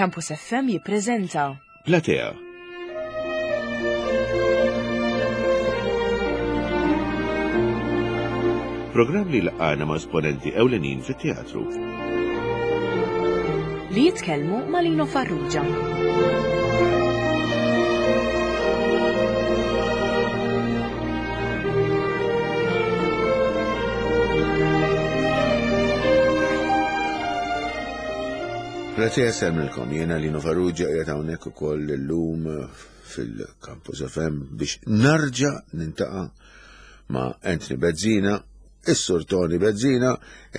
Campus FM jippreżenta Platea. Programm li laqgħana ma' esponenti ewlenin fit-teatru. Li jitkellmu ma' Lino Farrugia. Platea semmilkom, jena Lino Farrugia qiegħed hawnhekk ukoll illum fil-Campus FM biex narġa' nintaqa' ma' Anthony Bezzina, is-Sur Tony Bezzina,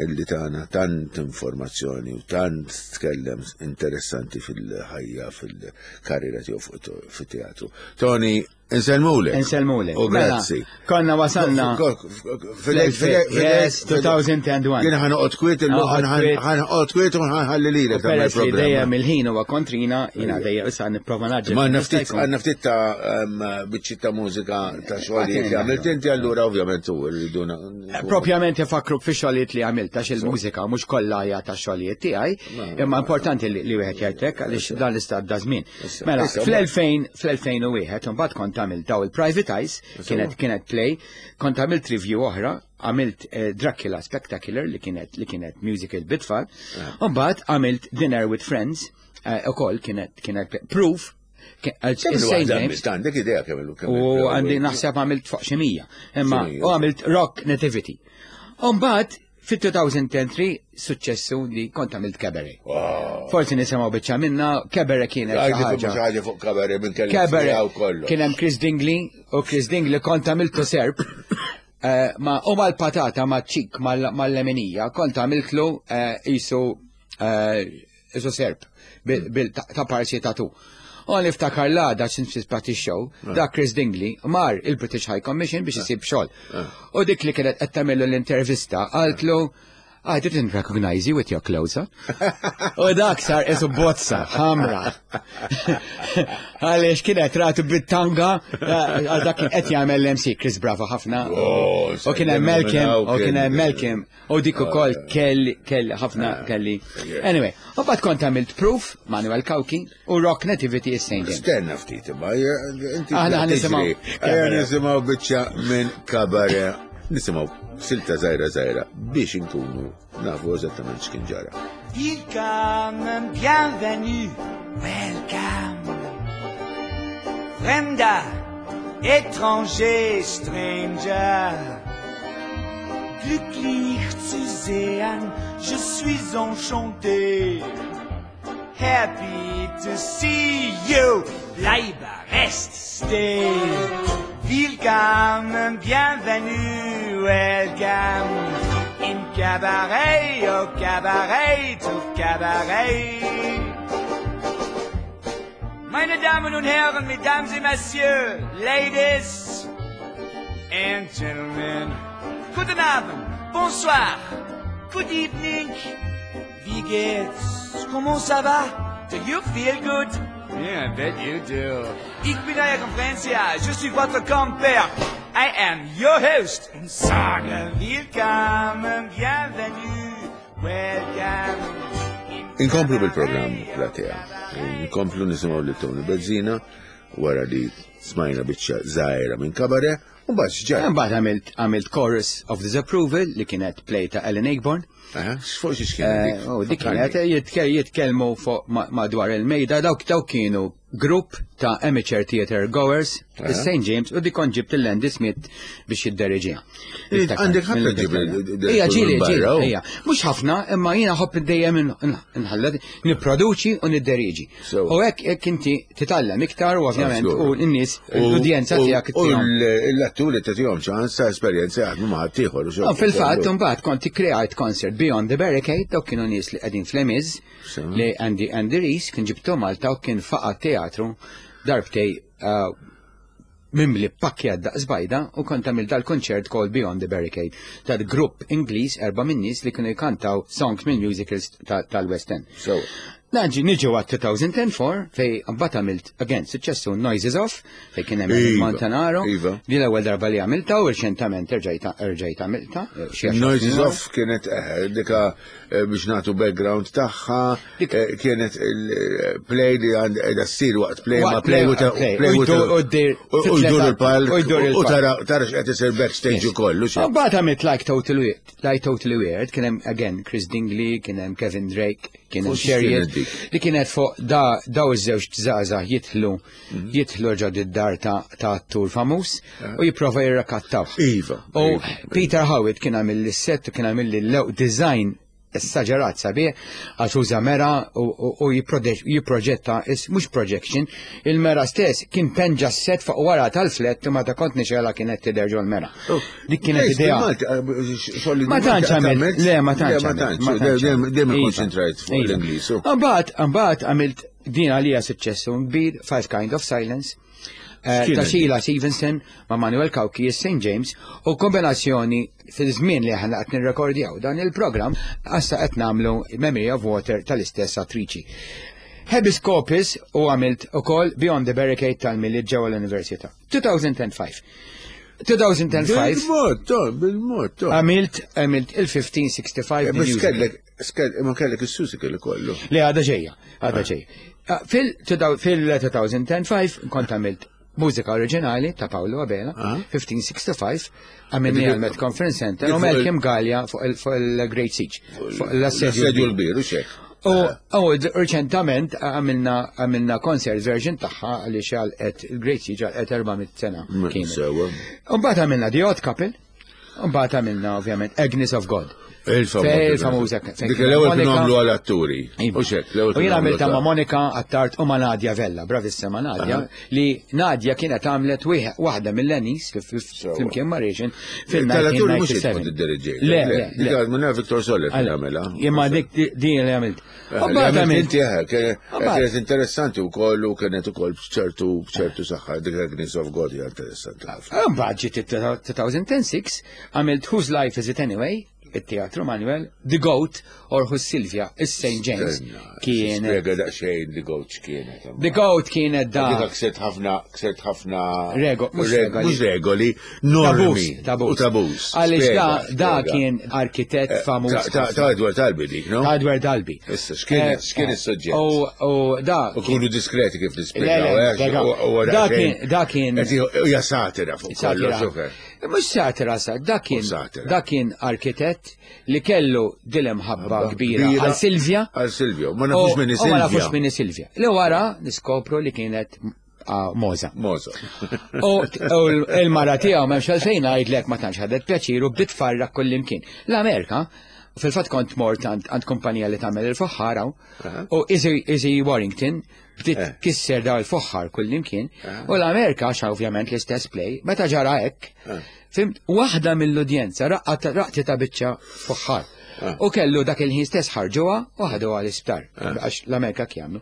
illi tana tant informazzjoni u tant tkellem interessanti fil-ħajja, fil-karriera tiegħu fit-teatru. Tony, Insellmulek. Insellmulek. U mela, grazzi. Konna wasalna. Yes, 2001. Jien ħanoqgħod kwiet illum ħanoqgħod kwiet u ħanħalli lilek. Peress li dejjem il-ħin huwa kontrina, jiena dejjem issa nipprova naġġel. Ma naftit għandna ftit ta' biċċi ta' mużika ta' xogħlijiet li għamilt inti allura ovvjament u rridu. Propjament ifakruk fi xogħlijiet li għamilt għax il-mużika mhux kollha hija ta' xogħlijiet tiegħi, imma importanti li wieħed jgħidlek għaliex dan l-istat da żmien. Mela, fl-2000 fl-2001 imbagħad kont għamilt daw il-Private Eyes, kienet kienet play, kont għamilt review oħra, għamilt eh, Dracula Spectacular li kienet li kienet musical bitfall, ah. u mbagħad għamilt Dinner with Friends, eh, ukoll kienet kienet proof Għandek idea kemm U għandi naħseb għamilt fuq xi mija. Imma u għamilt Rock Nativity. U mbagħad Fit-2003 suċċessu li kont għamilt cabaret. Forsi nisimgħu biċċa minna, cabaret kienet xi ħaġa. ħaġa fuq cabaret minn kelli Cabaret. Kien hemm Chris Dingley u Chris Dingley kont għamiltu serb. Eh, ma u mal-patata ma' ċik mal-leminija kont għamiltlu eh, isu eh, Isu serp, ta' parsi ta' tu. U niftakar l-għada x'infispat show ah. da Chris Dingley mar il-British High Commission biex isib xogħol. Ah. U dik li kienet qed tagħmillu l-intervista qaltlu I didn't recognize you with your clothes on. U dak sar isu bozza, ħamra. Għaliex kienet ratu bit-tanga, eh, għal dak kien qed jagħmel l-MC Chris Bravo ħafna. Oh, u kien hemm Malcolm, u kien hemm Malcolm, U dik ukoll kelli kelli ħafna ah, kelli. Anyway, u bad kont għamilt proof Manuel Kawki u Rock Nativity is Saint James. Stenna ftit imma inti. Aħna nisimgħu. Ejja nisimgħu biċċa minn kabare. Nisimgħu silta żgħira żgħira biex inkunu nafu eżattament x'kien ġara. Willkommen, bienvenue, welcome. Fremder, étranger, stranger. Glücklich zu sehen, je suis enchanté. Happy to see you, bleibe, rest, stay. Willkommen, bienvenue, welcome. In cabaret, au cabaret, to cabaret. Meine Damen und Herren, Mesdames et Messieurs, Ladies and Gentlemen, guten Abend, bonsoir, good evening, wie geht's, comment ça va, do you feel good? Yeah, I bet you do. Ich bin euer Konferencier, je suis votre compère. I am your host and sage willkommen, bienvenue, welcome. Inkomplu bil-programm Platea. Inkomplu nisimgħu lil Tony Bezzina wara li smajna biċċa żgħira minn kabare u mbagħad x'ġara. Mbagħad għamilt għamilt Chorus of Disapproval li kienet play ta' Ellen Ayckbourn. X'fuq xi kienet dik? Eh, dik kienet jitkellmu fuq madwar il-mejda dawk dawk kienu grupp ta' amateur theater goers St. James u dik kont ġibt il-Andy Smith biex jidderiġiha. Għandek ħafna ġib. Ija ġili, ġili, ija. Mhux ħafna, imma jiena ħobb dejjem nħallet nipproduċi u nidderiġi. U hekk hekk inti titgħallem iktar u ovvjament u n-nies l-udjenza tiegħek. U l-atturi tagħtihom ċans ta' esperjenza jaħdmu ma' ħaddieħor. Fil-fatt imbagħad kont ikkreajt concert Beyond the Barricade dawk kienu nies li qegħdin fl-Emiż li Andy Andy Rees kien ġibtu Malta u kien faqa teatru darbtej uh, mimli pakkja daqs bajda u kont għamil dal-konċert called Beyond the Barricade tal-grupp Ingliż erba' minn nies li kienu jkantaw songs minn musicals tal-West End. Naġi niġu għat 2004 fej mbagħad għamilt again suċċessu Noises Off fej kien hemm Iva, Montanaro. iva. Di l-ewwel darba li għamilta u reċentament erġajt erġajt għamilta. eh, xi għaxar Noises snin wara. Off kienet eh, dika eh, biex nagħtu background tagħha, Dik- eh, kienet il-play li għand qiegħda ssir waqt play ma Waqt play u play, ta' play. play U u ta' jdur- u ddir- u u jdur il-palk u jdur u il-palk. tara tara x'qed isir backstage ukoll u xi. Mbagħad għamilt Like Totally Weird, Like Totally Weird, kien hemm again Chris Dingley, kien hemm Kevin Drake, kien hemm Fuq xiex Sherriot, kienet dik? li kienet fuq da daw iż-żewġ żgħażagħ jidħlu Mhm. jidħlu ġo d-dar ta' ta' attur famuż u jipprova jirrakattaw. Iva, U iva. Peter Howitt kien għamil l-set u kien għamil l design essaġerat sabiħ għax uża mera u- u u jipprode- jipproġetta, is- mhux projection, il-mera stess kien penġa s-set fuq wara tal-flet u meta kont nixela kienet tidher ġol mera. Dik kienet Lejx, idea. bil-Malti, eh, xogħol Ma tantx għamilt, le, ma tantx Le, ma għamilt, tantx, ma tantx dejjem għamilt. dejjem Iva, ikkonċentrajt fuq iva. l-Ingliż. u- Mbagħad, mbagħad għamilt din għalija suċċessu kbir, Five Kind of Silence, eh, X'kienet ta' Sheila Stevenson ma' Manuel Cauchi St. James u kombinazzjoni fil-żmien li aħna qed nirrekordjaw dan il-programm għassa qed nagħmlu Memory of Water tal-istess attriċi. Habeas Corpus u għamilt ukoll Beyond the Barricade tal-Milied ġewwa l-Università. 2005. 2005 Bil-mod, to, bil-mod, to. għamilt għamilt il-1565 Eh, The Biex Musical. kellek, skell- ma kellek is-susikel ikollu. Le għada ġejja, għada ġejja. Ah, Fil-2005 kont għamilt mużika oriġinali ta' Paolo Abela, Ah. 1565, għamilni Dik- għal Met Conference Center dik u fuq Malcolm Gallia fuq il- fuq il-Great Siege, fuq l-assedju. L-assedju l-kbir, u xek. U u d- reċentament għamilna għamilna concert version tagħha għaliex għalqet il-Great Siege għalqet 400 sena. kienet. Sewa. Mbagħad għamilna The Odd Couple, mbagħad għamilna ovvjament Agnes of God. Il-famuża. Fej il-famuża. fejn Dik kien l-ewwel kienu Monica- għamlu għal-atturi. Iva. U xek, l-ewwel U kienu jien għamlu għamilta ma' ta' Monika Attard u ma' Nadja Vella, bravissima Nadja, li Nadja kienet għamlet wieħ- waħda mill-Anis flimkien ma' Reġin Tal-atturi mhux fil-1997. kont id-dirigġejt. Le, le, Dik le. għal Viktor Soller kien Għal- għamilha. Imma dik din li għamilt. Eh, U li mbagħad għamilt għamilt inti, eh, Mbagħad- Kienet interessanti u koll u kienet ukoll b'ċertu b'ċertu saħħa dik Agnes of God hija interessanti ħafna. Mbagħad ġiet it-2006 għamilt Whose Life Is It Anyway? it-teatru Manuel, The Goat or Who's Sylvia, is-St. James. Kienet. Spiega daqsxejn The Goat x'kienet. The Goat kienet da. Dik ksert ħafna, ksert ħafna. Rego- mhux reg- regoli. Mhux regoli, normi. Tabus, U tabus. Għaliex da, Spiega, da spiega. kien arkitett Eh, famuż. ta- Ta' ta' Edward Albi dik, no? Ta' Edward Albi. Issa, x'kien Eh, x'kien eh, is-suġġett? U u da. U kunu diskreti kif Le, nispjegaw, le, eh, spjegaw. u- u Da daqsxejn- kien- da kien- Qed Hija satira fuq kollox, Satira. ok. Mux satira sa, da kien, Mhux satira. da kien arkitett li kellu dilem ħabba kbira għal Silvia. Għal Silvia, ma nafux U- minni u Ma Silvia. nafux minni Silvia. Li wara niskopru li kienet ah, Moza. Moza. U u l-mara tiegħu m'hemmx għalfejn ngħidlek ma tantx ħadet pjaċir u bdiet tfarrak kullimkien. L-Amerika, fil-fatt kont mort għand għand kumpanija li tagħmel il-foħħar hawn, u Izzy Izzy Warrington bdiet Eh. kisser daw il-foħħar kullimkien, u l-Amerika għax ovvjament l-istess play, meta ġara hekk, fimt, waħda mill-udjenza raqqat raqti ta' biċċa foħħar. U kellu dak il-ħin stess ħarġuha u ħaduha l-isptar, għax l-Amerika kjamlu.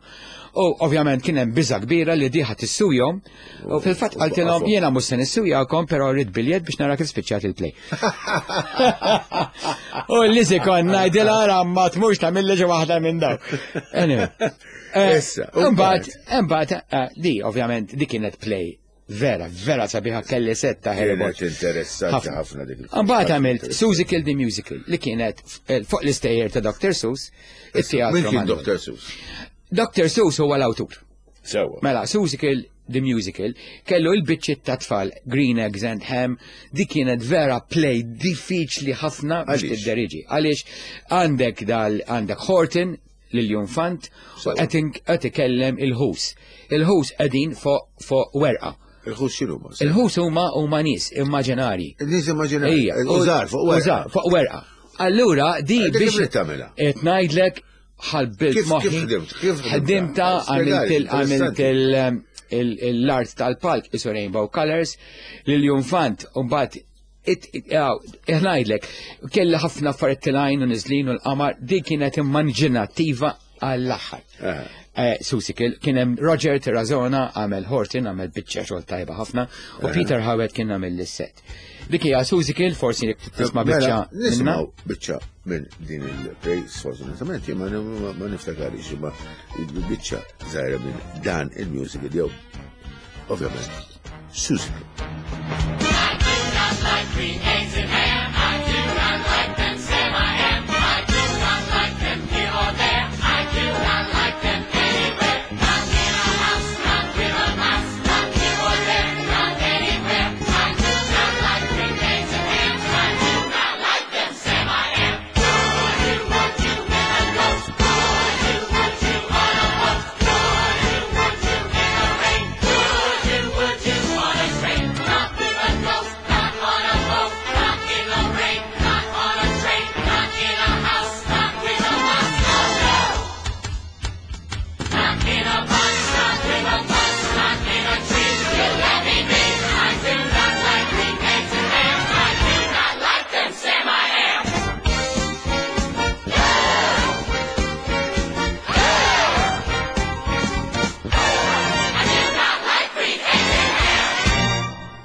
U ovvjament kien hemm biża kbira li diħa tissujhom, u fil-fatt qaltilhom jiena mhux se nissujakom, però rrid biljett biex nara kif spiċċat il-play. U l-liżi kon ngħidilha ara ma tmurx tagħmilli xi waħda minn daw. Anyway. Eh, Issa, u Imbagħad, imbagħad eh, di ovvjament di kienet play vera, vera sabiħa kelli setta Harry Kienet Potter. interessanti ħafna dik il- Mbagħad għamilt Susical the Musical li kienet eh, fuq l-istejjer ta' Dr. Seuss, it-teatru. Min kien Manuel. Dr. Seuss? Dr. Seuss huwa l-awtur. Sewa. Mela, Susical the Musical kellu il-biċċiet ta' tfal Green Eggs and Ham, di kienet vera play diffiċli ħafna biex Għaliex? tidderiġi. Għaliex għandek dal għandek Horton lil-Junfant u Sewa. qed qed ikellem il-ħus. Il-ħus qegħdin fuq fuq werqa. Il-ħus x'inhu ma? Il-ħus huma huma nies immaġinari. Nies immaġinari. Ija. Użar fuq werqa. Użar fuq werqa. Allura di Dik biex kif tagħmilha? qed ngħidlek ħalbilt Kif- moħħi. kif ħdimt? Kif ħdimta? Ħdimta għamilt il- għamilt Spjegali, il- il- il- l-art tal-palk isu Rainbow Colors lil Junfant u mbagħad ngħidlek kelli ħafna affarijiet tilgħin u niżlin u l-qamar di kienet immaġinattiva għall-aħħar. Aha. Seussical, kien hemm Roger Tirazona għamel Horton, għamel biċċa xogħol tajba ħafna, u Peter Howard kien għamel l-set. Dik hija Seussical, forsi jekk tisma' Mela, biċċa minnha. Nisimgħu biċċa minn din il-play, sfortunatament, jien ma niftakarix imma biċċa żgħira minn dan il-musical jew ovvjament Seussical.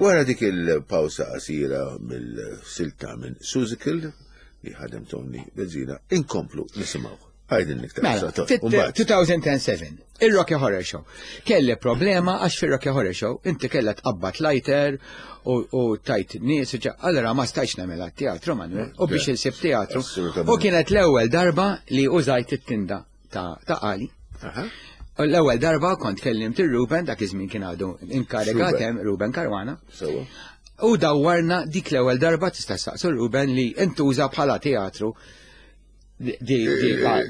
Wara dik il-pawsa qasira mill-silta minn Seussical li ħadem Tony Bezzina, inkomplu nisimgħu. Għajdin iktar. Mela, fit-2007, il-Rocky Horror Show. Kelli problema għax fil-Rocky Horror Show inti kella tqabbad lighter u tajt nies, allora ma stajx nagħmilha teatru Manuel, u biex insib teatru. Assolutament. U kienet l-ewwel darba li użajt it-tinda ta' Ali. U l-ewwel darba kont kellimt ir-Ruben, dak iż-żmien kien għadu inkarigat Ruben. hemm Ruben Caruana. Sewa. U dawwarna dik l-ewwel darba tista' saqsu Ruben li intuża bħala teatru di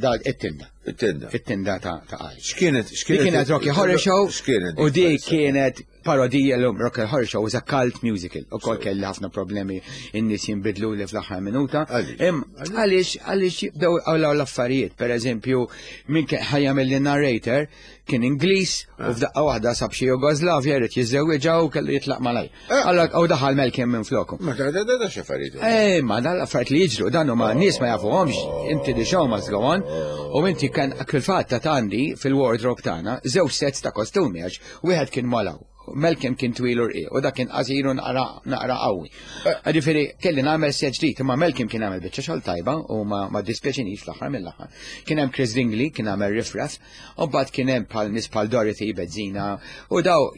da it-tinda. It-tinda. It-tinda ta' Ali. X'kienet Di x'kienet kienet Rocky Horror Show X'kienet u di kienet parodija l-lum Rocky Horror Show was a cult musical. U kol kelli ħafna problemi in-nies jinbidlu li fl-aħħar minuta. Għaliex? Għaliex għaliex jibdew għawlaw l-affarijiet. Per eżempju, min kien ħajjamel li narrator kien Ingliż u f'daqqa waħda sab xi Jugoslavja jrid jiżżewwiġha u kellu jitlaq malaj. Allora u daħal Malcolm minn floku. Ma ta' da x'affarijiet. Ma dan l-affarijiet li jiġru, dan huma nies ma jafuhomx, inti the show must go on, u inti kan fil-fatt ta' għandi fil-wardrobe tagħna żewġ sets ta' kostumi għax wieħed kien malaw. Malcolm kien twil u rqiq u dak kien qasir u naqra qawwi. Ġifieri kelli nagħmel set ġdid, imma Malcolm kien għamel biċċa xogħol tajba u ma dispjaċinix fl-aħħar mill-aħħar. Kien hemm Chris Dingley, kien għamel Riff Raff, u mbagħad kien hemm bħal nies bħal Dorothy Bezzina u daw,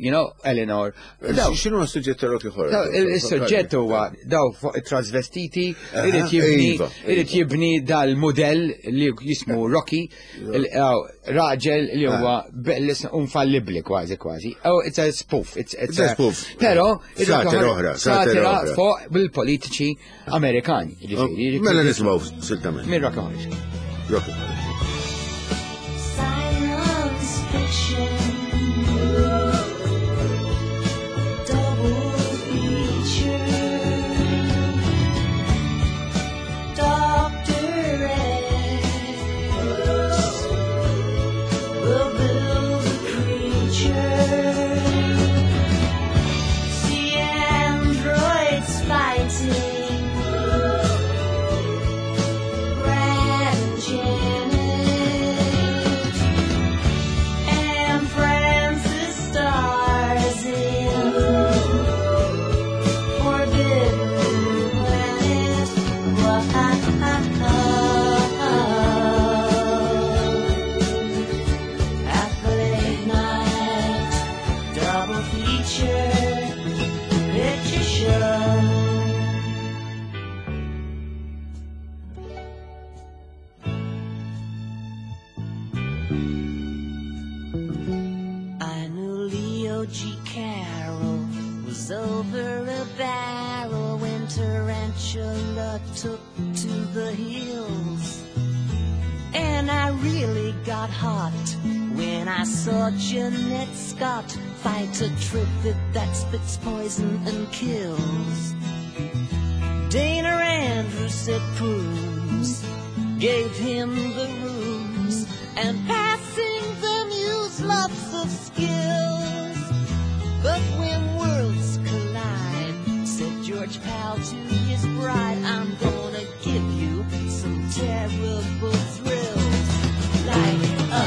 Eleanor. Daw, X'inhu s-suġġett ta' Rocky Horror? Daw, il-suġġett huwa daw fuq it-trasvestiti, irid jibni dal-mudell li jismu Rocky, raġel li huwa infallibli kważi kważi. Oh, it's a spoof. It's It's a a spoof. Però, Satira il-Rocky oħra, satira satira oħra. fuq bil-politiċi Amerikani, ġifieri, Mela nisimgħu siltament. Minn Rocky Horror. Rocky Horror. Silence fiction, double feature, Doctor X will build a creature, see androids fighting, Brad and Janet. And Francis stars in Forbidden Planet. At the late night double feature picture show. I knew Leo G. Carroll was over a barrel when Tarantula took to the hills. And I really got hot when I saw Jeanette Scott fight a trifid that spits poison and kills. Dana Andrews said prunes, gave him the rooms, and passing them used lots of skills. But when worlds collide, said George Pal to his bride, I'm going to give you some terrible thrills, like a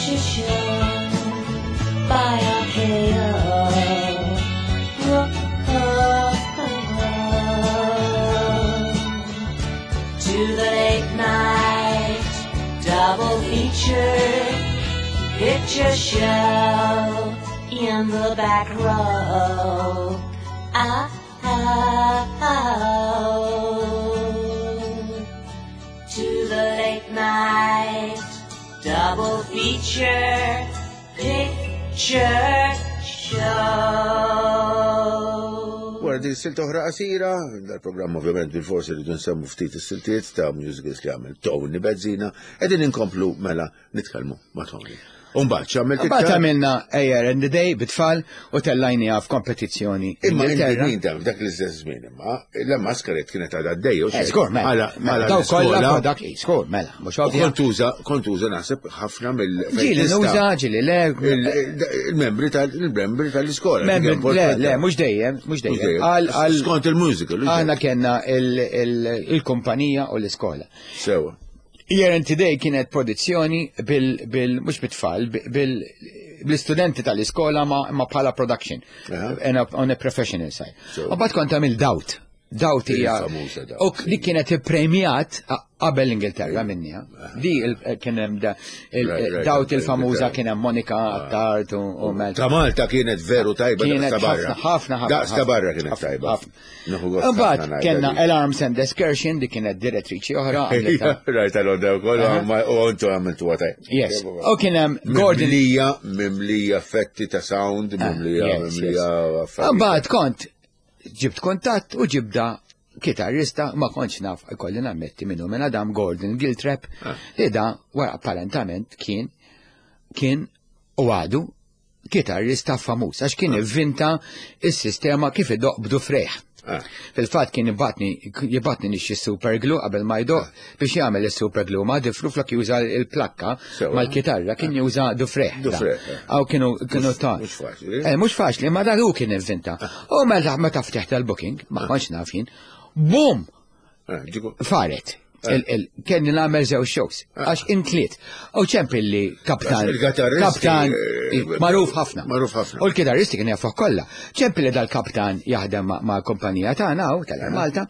Picture Show by RKO. To the late night double feature picture show in the back row. Ah, ah, oh. To the late night double feature picture show. Wara din silta oħra qasira, dal-programm ovvjament bil-forsi rridu nsemmu ftit is-siltiet ta' musicals li għamel Tony Bezzina, qegħdin inkomplu mela nitkellmu ma' Tony. Umbagħad x'għamilt Mbagħad iktar? għamilna A Year and the Day bit-tfal u tellajniha f'kompetizzjoni Imma Ingilterra. inti ta' f'dak l-istess żmien imma la Masquerade kienet għadha għaddejja u Eh, Żgur, mela. Mela, daw kollha product, eh, żgur, mela, mhux U ovvja. kont uża, kont uża naħseb ħafna mill Ġieli nuża, ġieli le. Il-membri tal-membri tal-iskola. Membri, le, le, mhux dejjem, mhux dejjem. Għal għal Skont il-musical. u aħna xejn. kellna il-kumpanija u l-iskola. Sewa. Year and Today kienet produzzjoni bil, bil mhux bit-tfal, bil, bl-istudenti tal-iskola ma, ma bħala production. Aha. And on a professional side. So- U bat kont għamil Doubt. Doubt hija. Il-famuża Doubt. U li kienet ippremjat qabel l-Ingilterra minni. Di kien hemm Right, Doubt il-famuża right. kien hemm Monica Attard u Mel. Ta' Malta kienet veru tajba Kienet daqs ta' barra. ħafna, ħafna, ħafna. Daqs ta' barra kienet ħafna, tajba. ħafna. Nieħu gost Imbagħad ħafna ngħidha kellna di. Alarms and Excursion, di kienet direttriċi oħra. għamlitha. Rajt għal-onda u koll, u għontu għamiltu għataj. Yes. U kien hemm Gordon. Mimlija, mimlija effetti ta' sound, mimlija, Ah, yes, mimlija affarijiet. Imbagħad kont ġibt kontatt u ġibda kitarrista ma kontx naf ikolli nammetti minnu minn Adam Gordon Giltrap li da wara apparentament kien kien u għadu kitarrista famuż għax kien ivvinta is-sistema kif idoq b'dufrejh. Fil-fatt kien jibatni nixxi super glue qabel ma jdoq biex jagħmel is-super glue ma difru flok juża il-plakka mal-kitarra kien juża dufrejh. da. Dufrejh, eh. Aw kienu ta' Mhux faċli. Mhux faċli, ma dak hu kien ivvinta. U meta meta ftiħt tal-booking, ma kontx naf jien, bum! Ġiku. Faret. Kenni nagħmel żewġ shows, għax intliet. U ċempilli kaptan. Għax il-gitarristi, Kaptan, magħruf ħafna. magħruf ħafna. U l-kitarristi kien jafuh kollha. Ċempilli dal-kaptan jaħdem ma' kumpanija tagħna hawn tal Malta.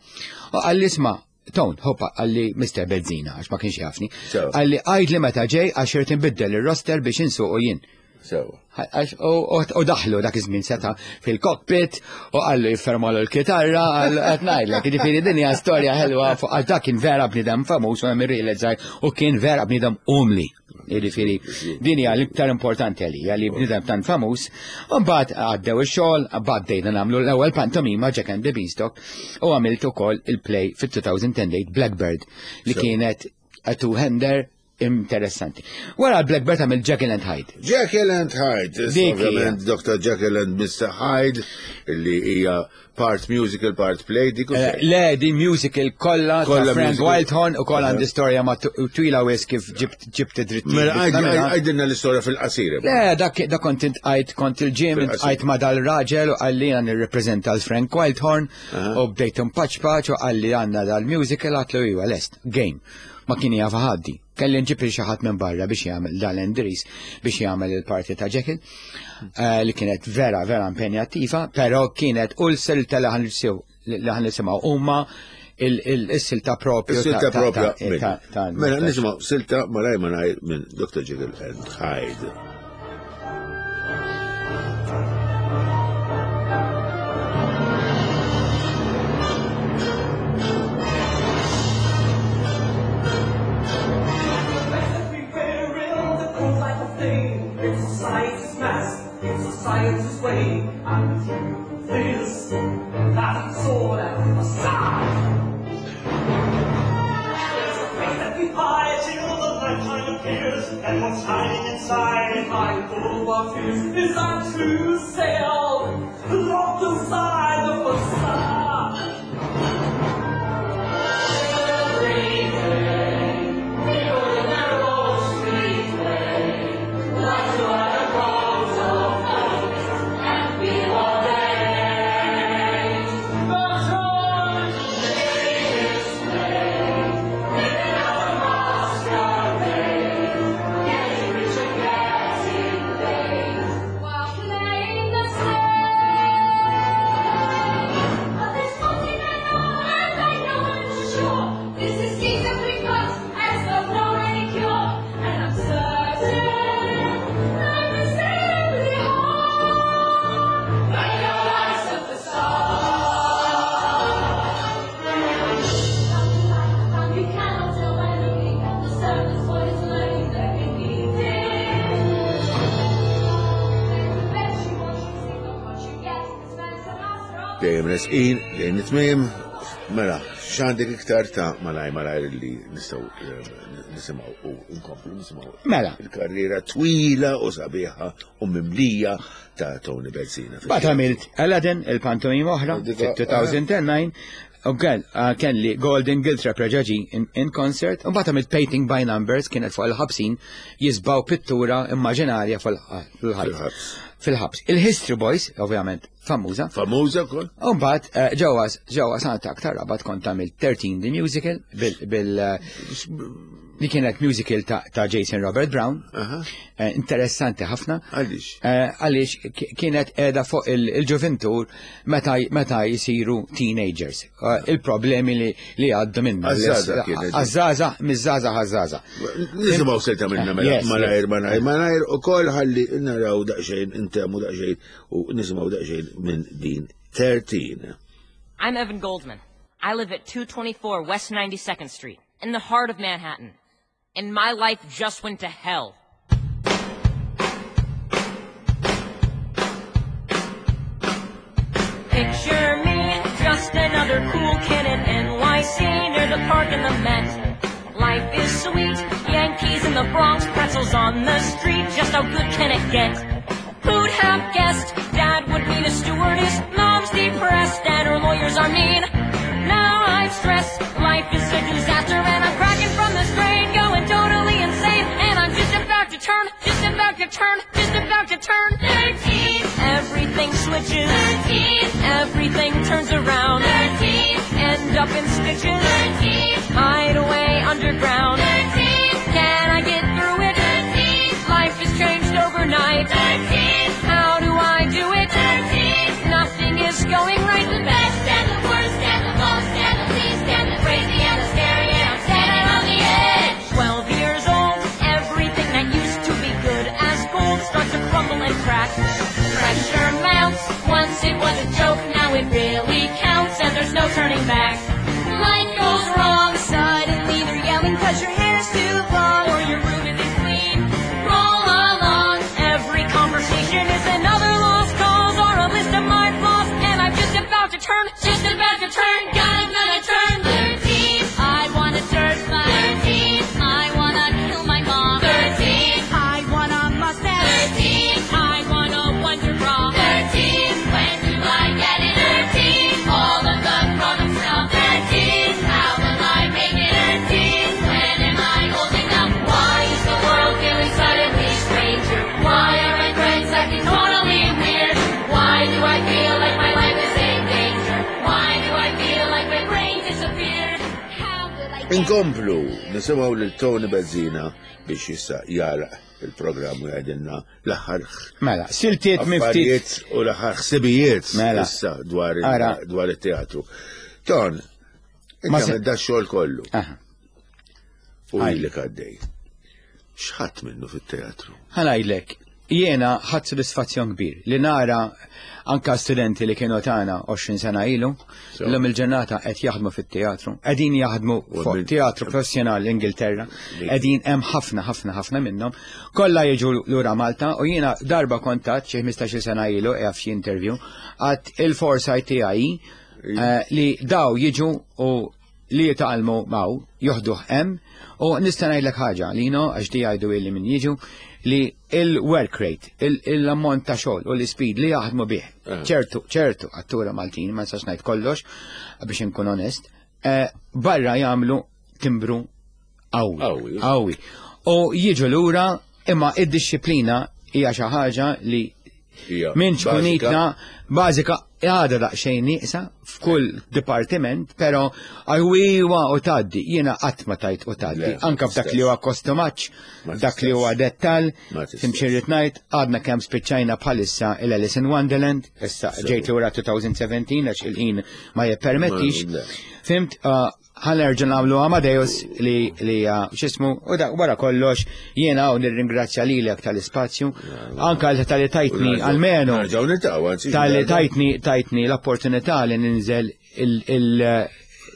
U qalli isma' Ton, hoppa, qalli Mr. Bezzina, għax ma kienx jafni. Sewa. Qalli għajd li meta ġej għax irid inbiddel ir-roster biex insuqu jien. Sewa. Għax, u daħlu dak iż-żmien seta' fil-cockpit u qallu jiffermalu l-kitarra, qallu qed ngħidlek, jiġifieri din hija storja ħelwa fuq għax dak kien vera bniedem famuż u hemm irrealizzaj u kien vera bniedem umli. Jiġifieri din hija l-iktar importanti għalija li bniedem tant famuż. U mbagħad għaddew ix-xogħol, mbagħad bdejna nagħmlu l-ewwel pantomima Jack and the Beanstalk u għamilt ukoll il-play fit-2008 Blackbird li kienet a two-hander interessanti. Wara l-Blackbird għamil Jekyll and Hyde. Jekyll and Hyde, Dik hija. ovvjament Dr. Jekyll and Mr. Hyde, li hija part musical, part play, dik u xejn. Le, di musical kollha ta' Kollha Frank musical. Wildhorn u kollha għandi storja ma' twila wis kif ġibt id-drittijiet. Mela, biex nagħmilha. għajdilna l-istorja fil-qasir. Le, dak kont intqajt kont il-ġim, Fil-qasir. intqajt ma' dal-raġel u qalli għan nirrepreżenta l-Frank Wildhorn u bdejt impaċpaċ u qalli għandna dal-musical għatlu iwa lest, game. Ma kien jaf ħaddi. Kelli nġib xi ħadd minn barra biex jagħmel dal-Andris biex jagħmel il-parti ta' Jekyll, li kienet vera vera impenjattiva, però kienet u l-silta li ħan nisimgħu huma il-silta propju. Silta propja. Mela, nisimgħu silta malaj malaj minn Dr. Jekyll and Hyde. Everywhere in the cold light of day, it's society's mask, it's society's way, and the truth is that it's all a facade. There's a face that we hide till the nighttime appears, and what's hiding inside, behind all our fears, is our true self, locked inside the facade. Every day, people in their own street way, like to hide a crowd of and be what they ain't. But joy they display, living out a masquerade, getting rich again. Dejjem resqin, dejjem nitmiem. Mela, x'għandek iktar ta' malaj malaj li nistgħu eh, nisimgħu u nkomplu nisimgħu. Mela. Il-karriera twila u sabiħa u mimlija ta' Tony Bezzina. Bat għamilt Aladdin, il-pantomim oħra, fit-2009, u eh, kelli Golden Guild Trap in, in concert, u bat għamilt Painting by Numbers, kienet fuq il-ħabsin, jisbaw pittura immaġinarja fil-ħabs. Fil-ħabs. Il-History Boys, ovvjament, famuża. Famuża kol. U mbagħad eh, ġewwa ġewwa Santa aktar rabat kont għamilt 13 The Musical bil, bil eh, li kienet musical ta', ta Jason Robert Brown. Eh, interessanti ħafna. Għaliex? Eh, għaliex kienet qiegħda fuq il-ġuventur meta meta jisiru teenagers. Eh, il-problemi li li għaddu minna. Għaż-żgħażagħ kienet. Għaż-żgħażagħ, miż-żgħażagħ għaż-żgħażagħ. Nisimgħu silta minna mela, malajr, malajr, malajr, u kol ħalli naraw daqsxejn, intemmu daqsxejn u nisimgħu daqsxejn minn din 13. I'm Evan Goldman. I live at 224 West 92nd Street, in the heart of Manhattan. And my life just went to hell. Picture me, just another cool kid in NYC near the park and the Met. Life is sweet, Yankees in the Bronx, pretzels on the street, just how good can it get? Who'd have guessed Dad would meet a stewardess, Mom's depressed, and her lawyers are mean? Now I'm stressed, life is a disaster, and I'm cracking from the strain, going totally insane, and I'm just about to turn, just about to turn, just about to turn 13. Everything switches, 13. Everything turns around, 13. End up in stitches, 13. Hide away underground, 13. Can I get through it? 13. Life has changed overnight, 13. How do I do it? 13. Nothing is going right. The best and the worst and the most and the least and the crazy and the scary, and I'm standing on the edge. 12 years old, everything that used to be good as gold starts to crumble and crack. Pressure mounts. Once it was a joke, now it really counts, and there's no turning back. Life goes wrong. Suddenly they're yelling 'cause your hair's too long or your room isn't clean. Roll along. Every conversation is another lost cause or a list of my flaws, and I'm just about to turn, just about to turn. God, I'm gonna turn 13. I want a dirt bike. 13. I wanna kill my mom. 13. I want a mustache. 13. I want a wonder bra. 13. When do I get it? 13. All of the grown-ups now. 13. How will I make it? 13. When am I old enough? Why is the world feeling suddenly stranger? Why are my friends acting totally weird? Why do I feel like my life is in danger? Why do I feel like my brain disappeared? How will I get Inkomplu nisimgħu lil Tony Bezzina biex issa jagħlaq il-programm u jgħidilna l-aħħar Mela, siltiet minn ftit. affarijiet u l-aħħar ħsibijiet Mela. issa dwar il- Ara. dwar it-teatru. Ton, Ma inti se- għamilt da xogħol kollu Aha. u Għaj. ilek għaddej. X'ħadd minnu fit-teatru? Ħanajdlek, jiena ħadd sodisfazzjon kbir li nara anka studenti li kienu tagħna 20 sena ilu, So. l-lum il-ġurnata qed jaħdmu fit-teatru, qegħdin jaħdmu U fuq min- teatru professjonali l-Ingilterra, qegħdin hemm ħafna ħafna ħafna minnhom, kollha jiġu lura Malta u jiena darba kontat xi 15-il sena ilu qiegħed f'xi interview għad il-foresight tiegħi eh, li daw jiġu u li jitgħallmu maw, joħduh hemm, u nista' ngħidlek ħaġa li no għax di jgħidu illi min jiġu li il-work rate, l-ammont ta' xogħol u l-speed li jaħdmu bih. Ċertu, ċertu, attura Maltin, ma nistax ngħid kollox biex inkun onest, eh, barra jagħmlu timbru qawwi. Qawwi. Qawwi. U jiġu lura imma id-disciplina hija xi ħaġa li Hija minn bażika. ċkunitna bażika għada daqsxejn nieqsa f'kull dipartiment, però għajwiwa u taddi, jiena qatt ma tajt u taddi, Le, ma anka f'dak li huwa kostumaċ, Ma dak li huwa tistax. dettal, Ma tistax. timxi rrid ngħid, għadna kemm spiċċajna bħalissa il-Alice in Wonderland, issa ġejt lura 2017 għax il-ħin ma jippermettix. Ma- le. Fimt, ħanerġa' nagħmlu Amadeus li li uh, x'ismu u dak wara kollox jiena hawn nirringrazzja lilek tal-ispazju, anka tal-li tajtni almenu Nerġgħu niltaqgħu, anzi. tal-li tajtni tajtni l-opportunità li ninżel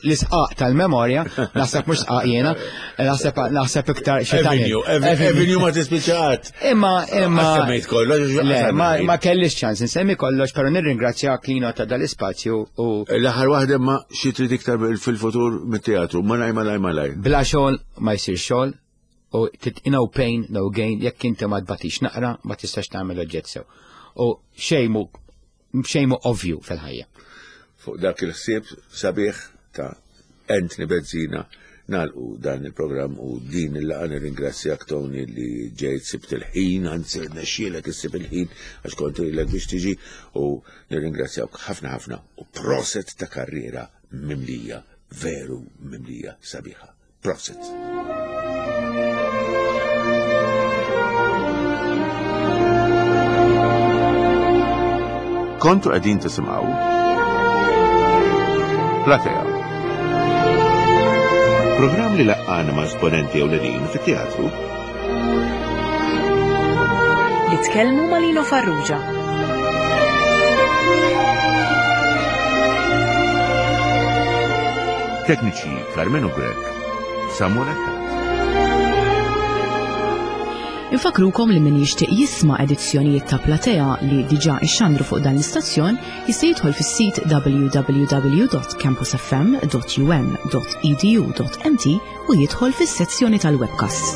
l-isqaq tal-memorja, naħseb mhux sqaq jiena, naħseb naħseb iktar xi Avenue, Avenue ma tispiċċat. Imma imma Semmejt kollox, Le, ma, ma kellix ċans insemmi kollox, però nirringrazzjak Lino ta' dal-ispazju u L-aħħar waħda ma xi trid iktar fil-futur mit-teatru, malaj malaj malaj. bla xogħol ma jsir xogħol u no pain, no gain, jekk inti ma tbatix naqra, ma tistax tagħmel oġġett sew. U xejn mhu xejn mhu ovvju fil-ħajja. Fuq dak il-ħsieb sabiħ ta' Anthony Bezzina nagħlqu dan il-programm u din il-laqgħa. Nirringrazzjak, Tony, li ġejt, sibt il-ħin, anzi rnexxielek issib il-ħin għax kont ilek biex tiġi, u nirringrazzjak ħafna ħafna u proset ta' karriera mimlija, veru mimlija sabiħa. Proset. Kontu qegħdin tisimgħu Platea. Programm li laqqana ma' esponenti ewlenin fit-teatru. Li tkellmu ma' Lino Farrugia. Tekniċi Carmenu Grech, Samuel Attard. Infakrukom li min jixtieq jisma' edizzjonijiet ta' Platea li diġà ixxandru fuq dan l-istazzjon jista' jidħol fis-sit www.campusfm.um.edu.mt u jidħol fis-sezzjoni tal-webcasts.